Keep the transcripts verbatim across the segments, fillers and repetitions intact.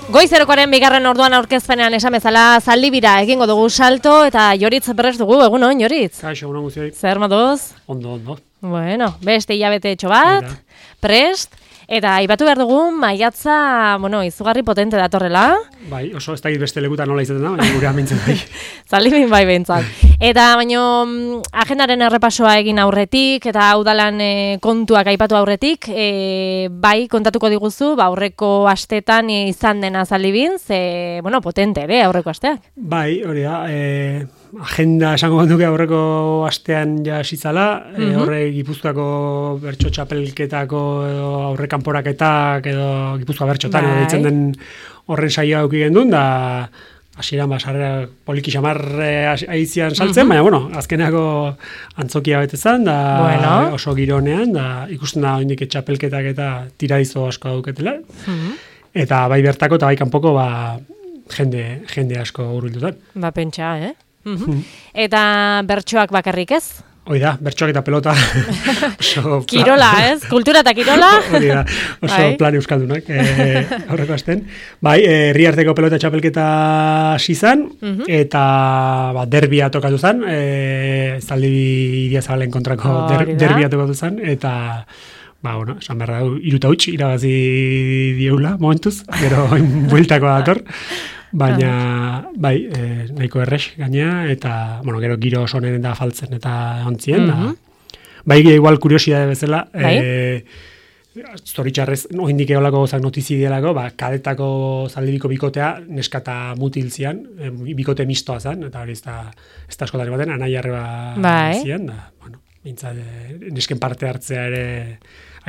Goizerokoaren bigarren orduan aurkezpenean esan bezala zaldibira egingo dugu salto eta Joritz prest dugu, egunon, Joritz? Kaixo, egunon guztioi. Zer moduz? Ondo, ondo. Bueno, beste hilabete etxo bat, prest, eta aipatu behar dugu maiatza, bueno, izugarri potente datorrela. Bai, oso ez dakit beste lekutan nola izaten da, baina gure amintzen bai. Zaldibin bai behintzat. Eta baino agendaren errepasoa egin aurretik, eta udalan e, kontuak aipatu aurretik, e, bai kontatuko diguzu, ba, aurreko astetan izan dena Zaldibin, ze, bueno, potente ere aurreko asteak. Bai, hori da, e, agenda esango banduke aurreko astean ja esitzala, mm -hmm. e, horre Gipuzkoako bertso txapelketako edo aurre kanporaketak edo Gipuzkoa bertxotan bai. Edo ditzen den horren saioa auki gendun, da hasieran basarra poliki xamar aizian saltzen, mm -hmm. baina, bueno, azkenako antzokia betezan, da bueno. Oso gironean, da ikusten da oindik txapelketak eta tiradizo asko dauketela. Mm -hmm. Eta bai bertako eta bai kanpoko, ba, jende, jende asko hurbildutan. Ba, pentsa, eh? Mm -hmm. mm. Eta bertsoak bakarrik ez? Hoi da, bertsoak eta pelota. Oso kirola, ez? Kultura eta kirola. Hori da, oso bai. Plan euskaldunak e, aurreko asten. Bai, herriarteko pelota txapelketa sizan, mm -hmm. eta ba, derbia tokatu zen, e, Zaldibi Idiazabalen kontrako oh, der, derbia tokatu zen, eta ba, bueno, esan behar da, iruta huts, irabazi dieula, momentuz, gero bueltako dator. Baina, bai, e, nahiko errex gainea, eta, bueno, gero giro oso honen da faltzen eta ontzien, mm -hmm. da. Bai, igual kuriosidade bezala, bai? e, zoritxarrez, no, indik eolako gozak notizi dielako, ba, kadetako Zaldibiko bikotea, neskata mutil zian, e, bikote mistoa zen, eta hori ez da, ez da askotari baten, anai arreba bai. Zian, da, bueno, bintzat, e, nesken parte hartzea ere,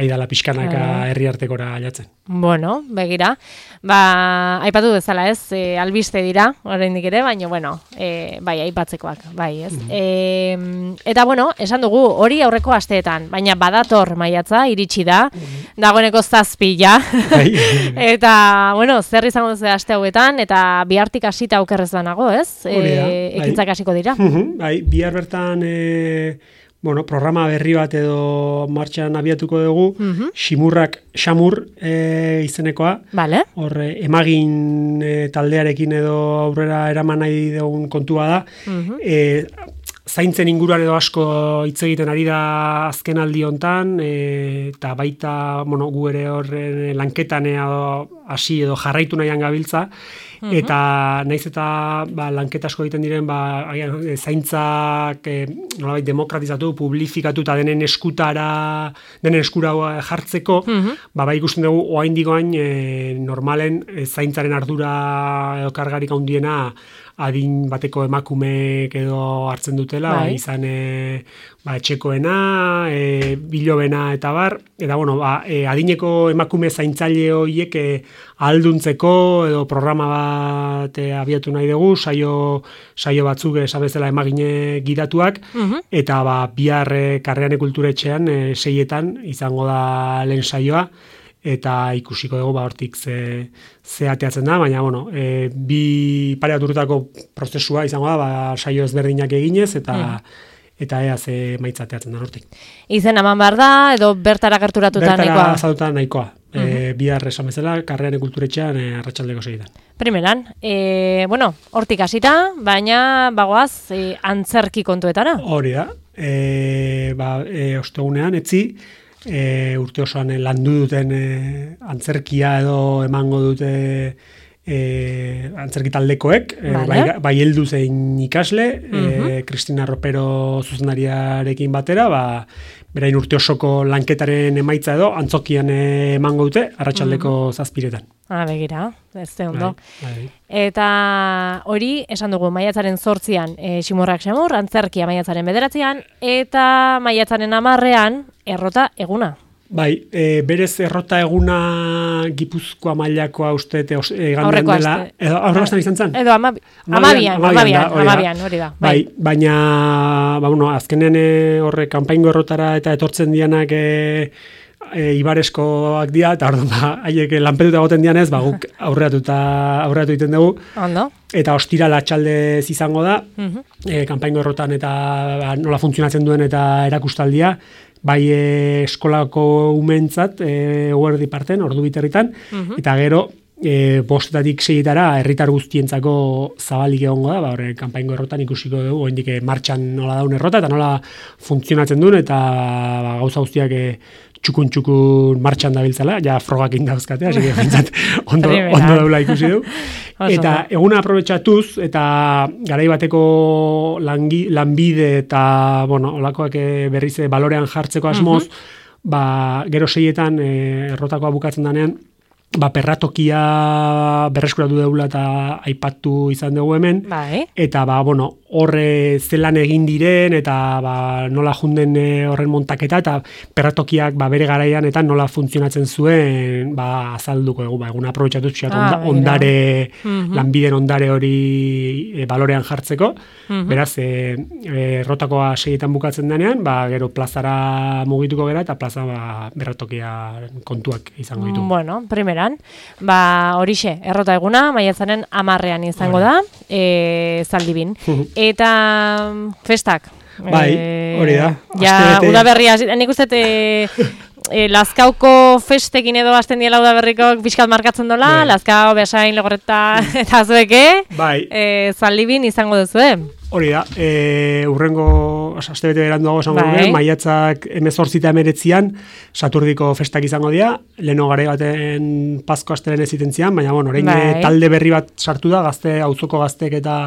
aidala pixkanaka herriartekora ailatzen. Bueno, begira. Ba, aipatu bezala ez, e, albiste dira, oraindik ere, baina, bueno, e, bai, aipatzekoak, bai, ez. Mm -hmm. e, eta, bueno, esan dugu, hori aurreko asteetan, baina badator maiatza, iritsi da, mm -hmm. dagoeneko zazpila. Bai. Eta, bueno, zer izango duzu aste hauetan, eta bihartik hasita aukerrez banago, ez? E, ekintzak hasiko dira. Mm -hmm. Bai, bihar bertan... E... Bueno, programa berri bat edo martxan abiatuko dugu, mm -hmm. Ximurrak Xamur e, izenekoa. Vale. Hor, emagin e, taldearekin edo aurrera eraman nahi dugun kontua da. Mm -hmm. e, zaintzen inguruan edo asko hitz egiten ari da azkenaldi hontan, e, eta baita, bueno, gu ere horren lanketan edo hasi edo jarraitu nahian gabiltza. Mm-hmm. Eta naiz eta ba, lanketa asko egiten diren ba, zaintzak e, nolabait demokratizatu, publifikatu eta denen eskutara, denen eskura jartzeko, mm-hmm. ba, ba ikusten dugu oaindikoain e, normalen e, zaintzaren ardura edo kargarik handiena adin bateko emakumeek edo hartzen dutela, bai. Izan e, ba, etxekoena, e, bilobena eta bar, eta bueno, ba, e, adineko emakume zaintzaile horiek e, ahalduntzeko edo programa bat e, abiatu nahi dugu, saio, saio batzuk esabezela emagine gidatuak, uh-huh. eta ba, bihar e, Karreane Kulturetxean e, seietan izango da lehen saioa, eta ikusiko dugu ba hortik ze, ze ateatzen da, baina bueno, e, bi pare bat urtetako prozesua izango da, ba, saio ezberdinak eginez, eta mm. eta ea ze maitza ateatzen da hortik. Izen eman behar da, edo bertara gerturatuta bertara nahikoa? Bertara zaduta nahikoa. Mm -hmm. e, bihar esan bezala, Karreane Kulturetxean e, arratsaldeko segitan. Primeran, e, bueno, hortik hasita, baina bagoaz e, antzerki kontuetara? Hori da, e, ba, e, ostegunean, etzi, E, urte osoan e, landu duten e, antzerkia edo emango dute e, antzerki taldekoek, vale. e, bai, bai heldu zein ikasle, uh-huh. e, Cristina Ropero zuzendariarekin batera, ba, berain urte osoko lanketaren emaitza edo antzokian e, emango dute, arratsaldeko uh-huh. zazpiretan. Ah, begira, ez de ondo. Bai, bai. Eta hori, esan dugu, maiatzaren zortzian e, Ximurrak Xamur, antzerkia maiatzaren bederatzean, eta maiatzaren amarrean, errota eguna. Bai, e, berez errota eguna Gipuzkoa mailakoa uste egandean dela. Edo aurreko astean izan zen? Edo amabian, amabian, amabian, amabian, hori da. Bai, bai baina, ba, bueno, azkenean horre kanpaingo errotara eta etortzen dianak e, e, ibareskoak dira, eta orduan, ba, haiek lanpetuta goten dianez, ba, guk aurreatuta, aurreatu egiten dugu. Ondo. Eta ostira atxaldez izango da, uh-huh. e, kanpaingo errotan eta ba, nola funtzionatzen duen eta erakustaldia, bai e, eskolako umentzat, e, uerdi parten, ordu biterritan, uh-huh. eta gero e, bostetatik seietara herritar guztientzako zabalik egongo da, ba, horre, kanpaingo errotan ikusiko dugu, oraindik martxan nola daun errota, eta nola funtzionatzen duen, eta ba, gauza guztiak e, txukun-txukun martxan dabiltzala, ja frogak indauzkatea, hasi que bintzat ondo, ondo daula ikusi du. Eta eguna aprobetxatuz, eta garai bateko langi, lanbide eta, bueno, olakoak berriz balorean jartzeko asmoz, uh-huh. ba, gero seietan e, errotakoa bukatzen danean, ba, perratokia berreskuratu deula eta aipatu izan dugu hemen, bai. Eta ba, bueno, horre zelan egin diren, eta ba, nola junden horren montaketa, eta perratokiak ba, bere garaian, eta nola funtzionatzen zuen, ba, azalduko dugu, ba, eguna aprobetxatu txat, ah, onda, ondare, uh-huh. lanbiden ondare hori e, balorean jartzeko, uh-huh. beraz, e, e, rotakoa seietan bukatzen denean, ba, gero plazara mugituko gera, eta plaza ba, berratokia kontuak izango ditu. Bueno, primera. Ba, horixe, errota eguna, maiatzaren amarrean izango da, e, Zaldibin. Eta festak. Bai, hori da. Ja, udaberria, nik uste e, e, Lazkauko festekin edo hasten diela udaberriko pixkat markatzen dola, bai. Lazkao, Beasain, Legorreta eta zueke, bai. e, Zaldibin izango duzue. Hori da, e, urrengo, aste bete beranduago esango dugu, maiatzak hemezortzi eta hemeretzian Saturdiko festak izango dira, leheno gare baten Pasko astelen ez itentzian, baina bueno, orain bai. talde berri bat sartu da, gazte, auzoko gaztek eta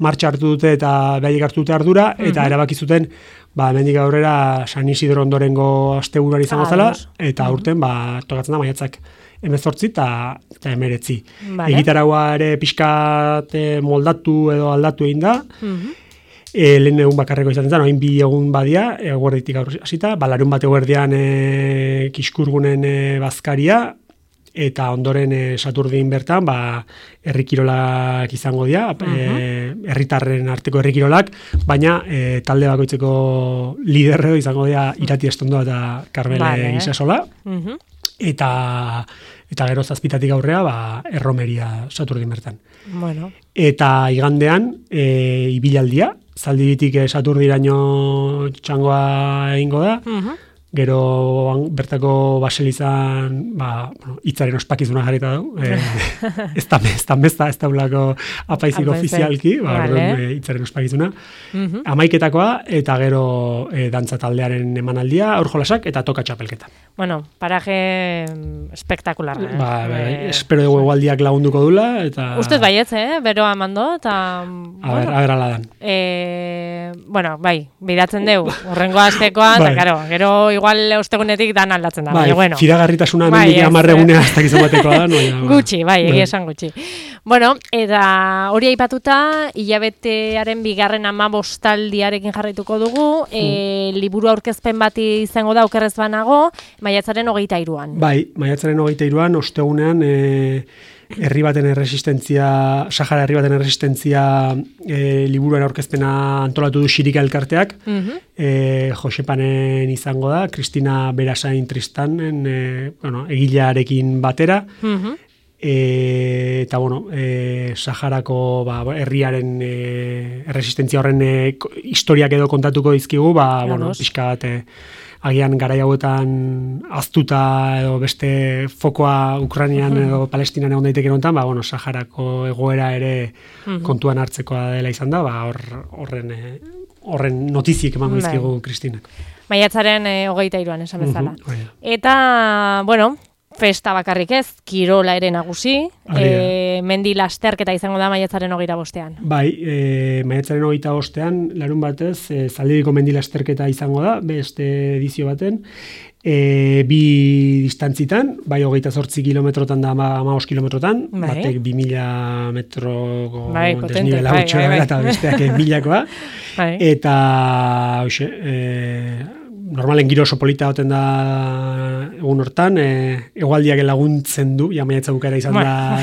martxa hartu dute eta behaiek hartu dute ardura, eta mm-hmm. erabaki zuten, ba, hemendik aurrera San Isidro ondorengo asteburuan izango zela, eta aurten, ba, tokatzen da maiatzak hemezortzi eta hemeretzi. Vale. Egitaragoa ere pixkat moldatu edo aldatu egin da, mm-hmm. e, lehen egun bakarreko izaten zen, oin bi egun badia, eguerditik hasita, ba, larun bat eguerdian e, Kiskurgunen e, bazkaria, eta ondoren e, Saturdin bertan, ba, herrikirolak izango dira, uh-huh. herritarren e, arteko herrikirolak, baina e, talde bakoitzeko liderreo izango dira Irati Estondoa eta Karmele vale. Gisasola, uh-huh. eta eta gero zazpitatik aurrea, ba, erromeria Saturdin bertan. Bueno. Eta igandean, e, ibilaldia, Zaldibitik e, Saturdiraino txangoa egingo da, uh-huh. gero bertako baselizan, ba, bueno, itzaren ospakizuna jarrita dugu, e, ez da mezta, ez da ulako apaizik ofizialki, ba, vale. e, itzaren ospakizuna, uh-huh. amaiketakoa, eta gero e, dantza taldearen emanaldia, aurjolasak, eta toka txapelketa. Bueno, paraje espektakular. Eh? Ba, eh, espero dugu egualdiak lagunduko dula, eta... Ustez baietz, eh? Beroa mando, eta... A bueno, ber, a ber ala dan. E, bueno, bai, bidatzen dugu, urrengo astekoa, eta, karo, gero igual ostegunetik dan aldatzen da. Bai, baina, bueno. Firagarritasuna hemendik amarregunea hasta gizan bateko da. No, ja, gutxi, bai, egia esan gutxi. Bueno, eta hori aipatuta, hilabetearen bigarren amabostaldiarekin jarraituko dugu, mm. e, liburu aurkezpen bati izango da, okerrez banago, maiatzaren hogeita hiruan. Bai, maiatzaren hogeita hiruan, ostegunean, e, herri baten erresistentzia, Sahara herri baten erresistentzia e, liburuan aurkezpena antolatu du Xirika elkarteak, uh-huh. e, Josepanen izango da, Kristina Berasain Tristanen, e, bueno, egilearekin batera, uh-huh. e, eta bueno, e, Saharako ba, herriaren e, erresistentzia horren e, historiak edo kontatuko dizkigu, ba, bueno, pixka bat, e, agian garai hauetan aztuta edo beste fokoa Ukrainian edo Palestinan egon daiteke honetan, ba, bueno, Saharako egoera ere uh-huh. kontuan hartzekoa dela izan da, ba, hor, horren, horren notiziek emango dizkigu Kristinak. Maiatzaren e, hogeita hiruan esan bezala. Uh-huh. Eta, bueno, festa bakarrik ez, kirola ere nagusi, e, mendi lasterketa izango da maiatzaren hogeita bostean. Bai, e, maiatzaren hogeita bostean, larun batez, e, Zaldibiko mendi lasterketa izango da, beste edizio baten, e, bi distantzitan, bai hogeita zortzi kilometrotan da ama os kilometrotan, bai. Batek bi mila metroko bai, desnibela bai, bai, bai. Eta besteak milakoa, bai. Eta, hoxe, e, normalen giro oso polita goten da egun hortan, e, egualdiak laguntzen du, ja maiatza bukara izan da,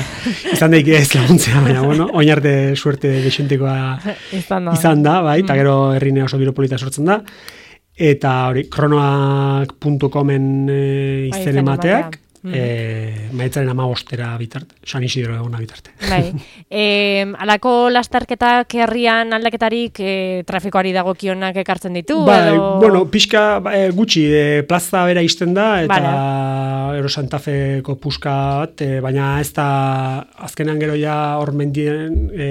izan daik ez laguntzea, baina bueno, oin arte suerte dexentekoa izan da, bai, eta gero herrine oso giro polita sortzen da, eta hori, kronoak puntu comen e, izen emateak, Mm. E, maiatzaren amabostera bitarte, San Isidro eguna bitarte. Bai. E, alako lastarketak herrian aldaketarik e, trafikoari dagokionak ekartzen ditu? Bai, edo... bueno, pixka e, gutxi, e, plaza bera izten da, eta vale. Ero Santa Feko puska bat, e, baina ez da azkenan gero ja hor mendien e,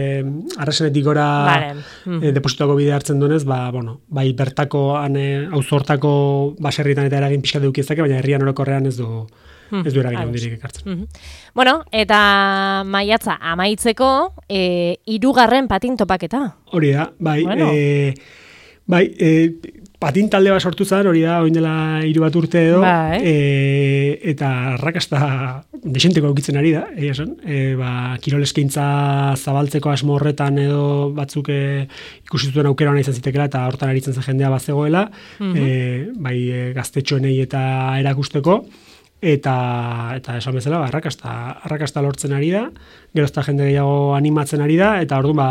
arrasenetik gora vale. mm. e, deposituako bide hartzen duenez, ba, bueno, bai bertako, auzo hortako baserritan eta eragin pixka deukiezake, baina herrian orokorrean ez du ez du eragin handirik ekartzen. Mm-hmm. Bueno, eta maiatza amaitzeko e, hirugarren patin topaketa. Hori da, bai. Bueno. E, bai, e, patin talde bat sortu zen, hori da, oin dela hiru bat urte edo, bai. e, eta arrakasta desenteko aukitzen ari da, egia esan. E, ba, kirol eskaintza zabaltzeko asmo horretan edo batzuk e, ikusi zuten aukera ona izan zitekela, eta hortan aritzen zen jendea bazegoela, mm-hmm. e, bai e, gaztetxoenei eta erakusteko, eta eta esan bezala ba, arrakasta arrakasta lortzen ari da, gerozta jende gehiago animatzen ari da, eta orduan ba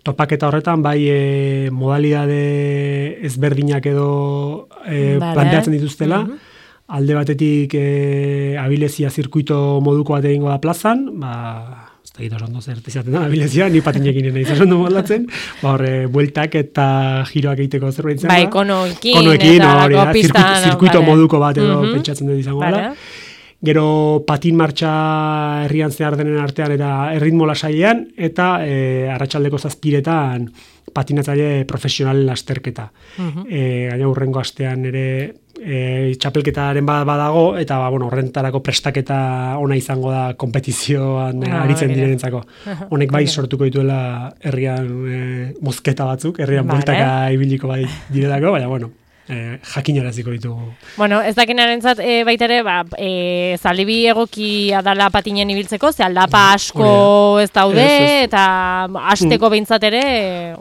topaketa horretan bai e, modalidade ezberdinak edo e, vale. Planteatzen dituztela, mm-hmm. alde batetik e, abilezia zirkuito moduko bat egingo da plazan, ba ez da gita oso ondo zertizaten da abilezia, ni patinekin nahi izan ondo moldatzen, ba horre bueltak eta giroak egiteko zerbait zen. Bai, konoekin, konoekin eta hori da, pistan, zirkuito, zirkuito vale. moduko bat edo mm-hmm. pentsatzen dut izango vale. dela. Gero patin martxa herrian zehar denen artean eta erritmo lasailean, eta e, arratsaldeko zazpiretan patinatzaile profesionalen lasterketa. Uh-huh. E, gaina hurrengo astean ere e, txapelketaren bat badago, eta ba, bueno, horrentarako prestaketa ona izango da kompetizioan ah, aritzen okay. direnentzako. Honek bai sortuko dituela herrian e, mozketa batzuk, herrian vale. Bueltaka ibiliko bai direlako, baina bueno, Eh, jakinaraziko ditugu. Bueno, ez dakinarentzat e, baita ere, ba, e, zaldibi egokia dala patinen ibiltzeko, ze aldapa asko ez daude, ez, ez. Eta hasteko behintzat ere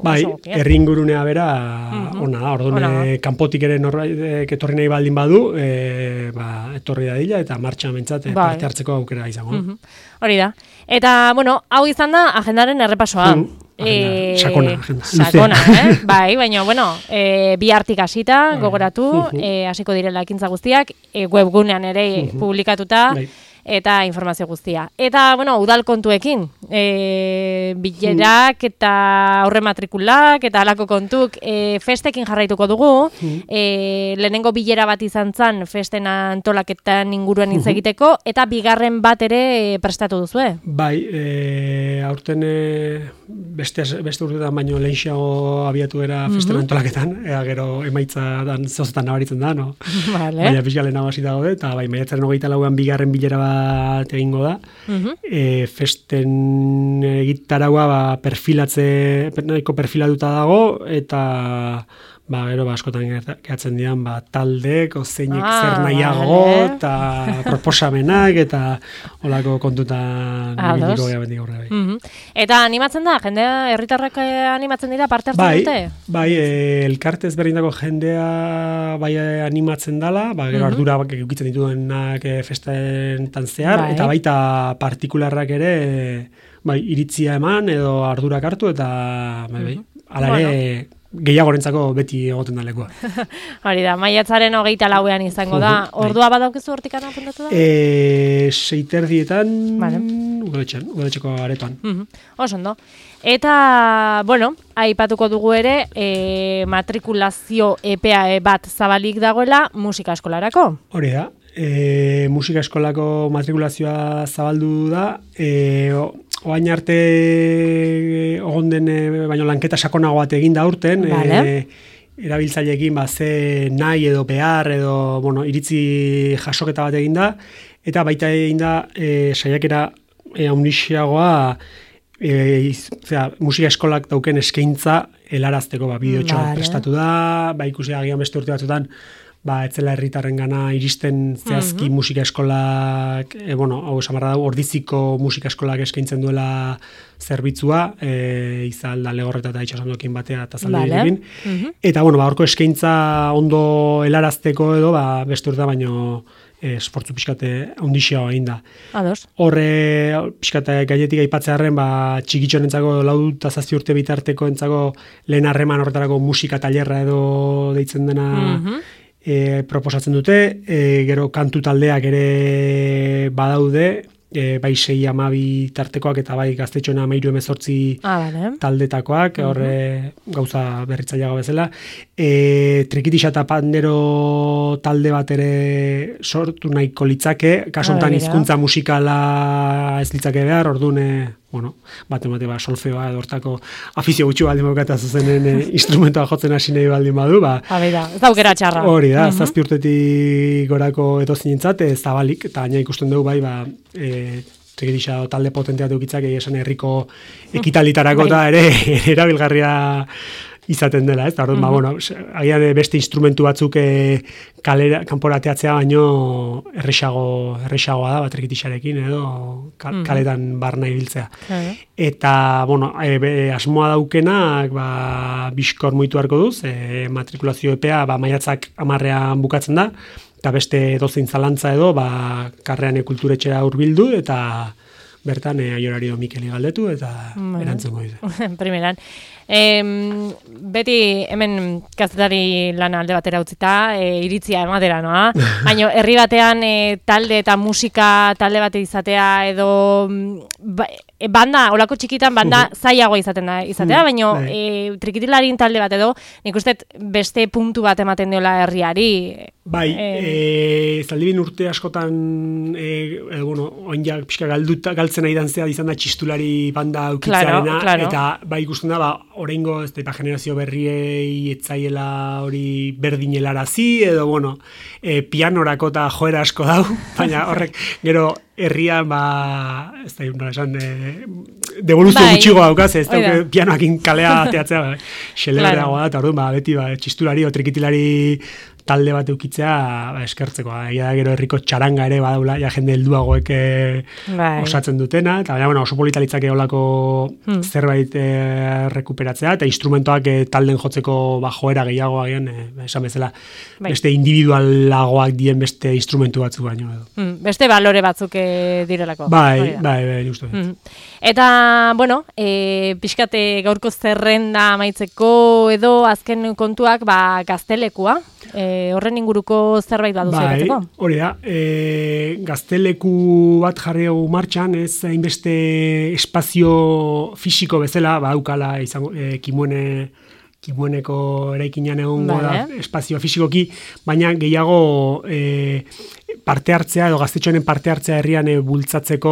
bai, herri ingurunea bera mm-hmm. ona da, orduan e, kanpotik ere norbait etorri nahi baldin badu, e, ba, etorri dadila eta martxan behintzat e, bai. Parte hartzeko aukera izango. Mm-hmm. Hori da. Eta, bueno, hau izan da agendaren errepasoa. Mm. Agenda, sakona, agenda. Sakona, eh? Bai, baina, bueno, e, bi hartik hasita, gogoratu, e, hasiko direla ekintza guztiak, e, webgunean ere uh-huh. publikatuta, bai. Eta informazio guztia. Eta, bueno, udal kontuekin, e, bilerak eta aurre matrikulak eta alako kontuk, e, festekin jarraituko dugu, e, lehenengo bilera bat izan zan, festen antolaketan inguruan hitz egiteko, eta bigarren bat ere prestatu duzue. Bai, e, aurten e, beste, beste urtetan baino lehenxago abiatu era festen mm-hmm. antolaketan, ea gero emaitza dan zozetan nabaritzen da, no? Vale. Baina pixka lehen hasi dago, eta bai, maiatzaren hogeita lauan bigarren bilera bat egingo da. Uh-huh. E, festen egitaragua ba, perfilatze, nahiko perfilatuta dago, eta ba, gero, ba, askotan gehatzen dian, ba, taldek, zeinek ah, zer nahiago, eta proposamenak, eta holako kontutan ibiliko geha bendik aurre. Bai. Uh-huh. Eta animatzen da, jendea, herritarrak animatzen dira, parte hartzen bai, dute? Bai, e, elkartez berrindako jendea bai animatzen dala, ba, gero uh-huh. ardura bak, eukitzen dituenak e, festentan zehar, bai. Eta baita partikularrak ere, bai, iritzia eman, edo ardurak hartu, eta bai, bai, uh-huh. ala ere, bueno. Gehiagorentzako beti egoten da lekua. Hori da, maiatzaren hogeita lauean izango da. Ordua badaukezu hortikan apuntatu da? E, seiterdietan, vale. udaletxean, udaletxeko aretoan. Uh-huh. Oso ondo. Eta, bueno, aipatuko dugu ere, e, matrikulazio epea bat zabalik dagoela musika eskolarako. Hori da. E, musika eskolako matrikulazioa zabaldu da, e, oain arte ogonden e, baino lanketa sakonago bat egin da urten, vale. e, erabiltzaileekin ba, ze nahi edo behar edo bueno, iritzi jasoketa bat egin da, eta baita egin da e, saiakera e, haunixiagoa e, zera, musika eskolak dauken eskaintza helarazteko ba, bideotxoa vale. Prestatu da, ba, ikusi agian beste urte batzutan, ba, etzela herritarren gana iristen zehazki mm-hmm. musika eskolak, e, bueno, hau esamarra da, ordiziko musika eskolak eskaintzen duela zerbitzua, e, izalda legorreta eta itxasondokin batea eta zalde vale. Mm-hmm. Eta, bueno, ba, horko eskaintza ondo helarazteko edo, ba, beste urte baino esportzu pixkate haundixeago egin da. Ados. Horre, pixkate gainetik aipatzearen, ba, txikitxonentzako lau eta zazpi urte bitarteko entzako lehen harreman horretarako musika tailerra edo deitzen dena mm-hmm. e, proposatzen dute, e, gero kantu taldeak ere badaude, e, bai sei amabi tartekoak eta bai gaztetxoena amairu emezortzi ah, vale. taldetakoak, uh-huh. horre gauza berritzaileago bezala. E, Trikitixa eta Pandero talde bat ere sortu nahiko litzake, kasu honetan hizkuntza musikala ez litzake behar, orduan, bueno, bate bate ba, solfeoa edo hortako afizio gutxi baldin bokata zuzenen e, instrumentoa jotzen hasi nahi baldin badu, ba. Habida, ez aukera txarra. Hori da, uh-huh. zazpi urtetik gorako edozinentzat, ez zabalik, eta gaina ikusten dugu bai, ba, e, Trikitixa talde potentea dukitzak esan herriko ekitalitarako eta ere erabilgarria izaten dela, ez? Da, orduan, mm-hmm. ba, bueno, agian beste instrumentu batzuk e, kalera, kanporateatzea baino erresago, erresagoa da, bat Trikitixarekin edo kal, mm-hmm. kaletan barna ibiltzea. Okay. Eta, bueno, e, be, asmoa daukenak, ba, bizkor muitu harko duz, e, matrikulazio epea, ba, maiatzak amarrean bukatzen da, eta beste dozein zalantza edo, ba, karrean kulturetxera hurbildu, eta bertan e, Aiorario Mikeli galdetu, eta bueno. Erantzungo dute. Primeran. E, beti hemen kazetari lana alde batera utzita, e, iritzia ematera noa, baina herri batean e, talde eta musika talde bate izatea edo ba, e, banda, olako txikitan banda uh-huh. zailagoa izaten da izatea, uh-huh. baina e, trikitilarin talde bat edo, nik uste beste puntu bat ematen diola herriari. Bai, e, e, zaldibin urte askotan, e, e, bueno, oinjak pixka galduta, galtzen nahi dantzea izan da txistulari banda aukitzearena, claro, claro. Eta bai ikusten da, ba, oraingo ez da generazio berriei etzaiela hori berdinelarazi, edo, bueno, e, pianorako eta joera asko dau, baina horrek gero herrian, ba, ez da, nola esan, e, devoluzio bai. Gutxigo daukaz, ez da, pianoakin kalea teatzea, ba, xelereagoa claro. Da, eta orduan, ba, beti, ba, txistulari o trikitilari talde bat eukitzea ba, eskertzeko. Egia gero herriko txaranga ere badaula, ja jende helduagoek bai. Osatzen dutena, eta baina, bueno, oso politalitzake olako hmm. zerbait e, rekuperatzea, eta instrumentoak e, talden jotzeko ba, joera gehiago agian, e, esan bezala, bai. Beste individualagoak dien beste instrumentu batzuk baino. Edo. Hmm. Beste balore batzuk e, direlako. Bai, bai, bai, justu. Hmm. Eta, bueno, e, pixkate gaurko zerrenda amaitzeko edo azken kontuak ba, gaztelekua, e, horren inguruko zerbait baduzu bai, hori da, e, gazteleku bat jarri dugu martxan, ez hainbeste espazio fisiko bezala, badaukala izango, e, kimuene, kimueneko eraikinean egongo da espazio fisikoki, baina gehiago e, parte hartzea edo gaztetxoenen parte hartzea herrian e, bultzatzeko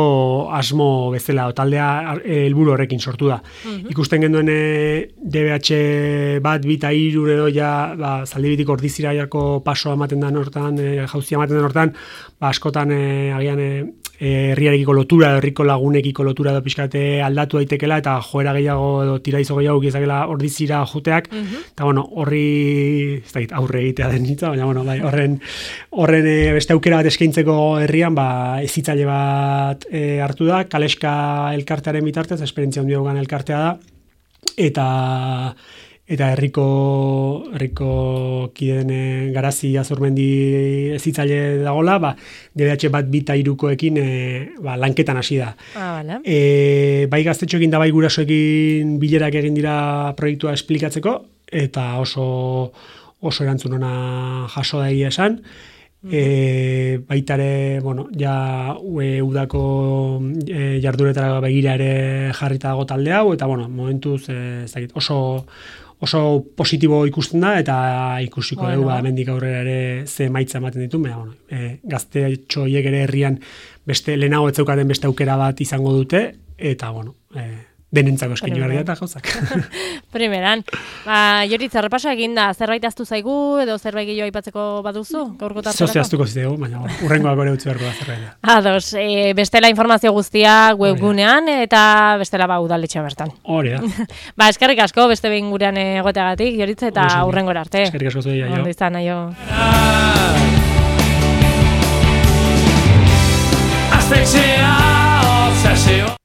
asmo bezala, o taldea helburu e, horrekin sortu da. Uh-huh. Ikusten genduen e, D B H bat, bita hiru edo ja, ba, Zaldibitik Ordiziraiako pasoa ematen da hortan, e, jauzia ematen da hortan, ba, askotan e, agian e, herriarekiko lotura, herriko lagunekiko lotura edo pixkate aldatu daitekela, eta joera gehiago edo tiraizo gehiago gizakela Ordizira joteak, uh-huh. Eta bueno, horri, ez dakit, aurre egitea den hitza, baina bueno, bai, horren, horren e, beste aukera bat eskaintzeko herrian, ba, ezitzaile bat e, hartu da, Kaleska elkartearen bitartez, esperientzia handia dugan elkartea da, eta eta herriko herriko kideen Garazi Azurmendi ezitzaile dagola, ba D B H bat bita hirukoekin e, ba, lanketan hasi da. Ah, vale. E, bai gaztetxoekin da bai gurasoekin bilerak egin dira proiektua esplikatzeko, eta oso oso erantzun ona jaso da egia esan. E, baitare, bueno, ja e, udako e, jarduretara begira ere jarrita dago talde hau, eta bueno, momentuz e, ez dakit, oso oso positibo ikusten da, eta ikusiko bueno. Dugu, ba, hemendik aurrera ere ze maitza ematen ditu, baina, bueno, e, gaztetxo hiek ere herrian beste lehenago ez zeukaten beste aukera bat izango dute, eta, bueno, e, denentzako eskin joan eta gauzak. Primeran. Ba, Joritza, repaso egin da, zerbait aztu zaigu, edo zerbait gehiago aipatzeko baduzu? Gaurko tarterako? Zozia aztuko zitegu, baina urrengoak ere utzi beharko da zerbait. Ados, e, bestela informazio guztia webgunean, eta bestela ba udaletxea bertan. Hori da. Ba, eskerrik asko, beste behin gurean egoteagatik, Joritza, eta urrengora arte. Eskerrik asko zuei, aio. Ondo izan, aio. Aztexea, obsesio.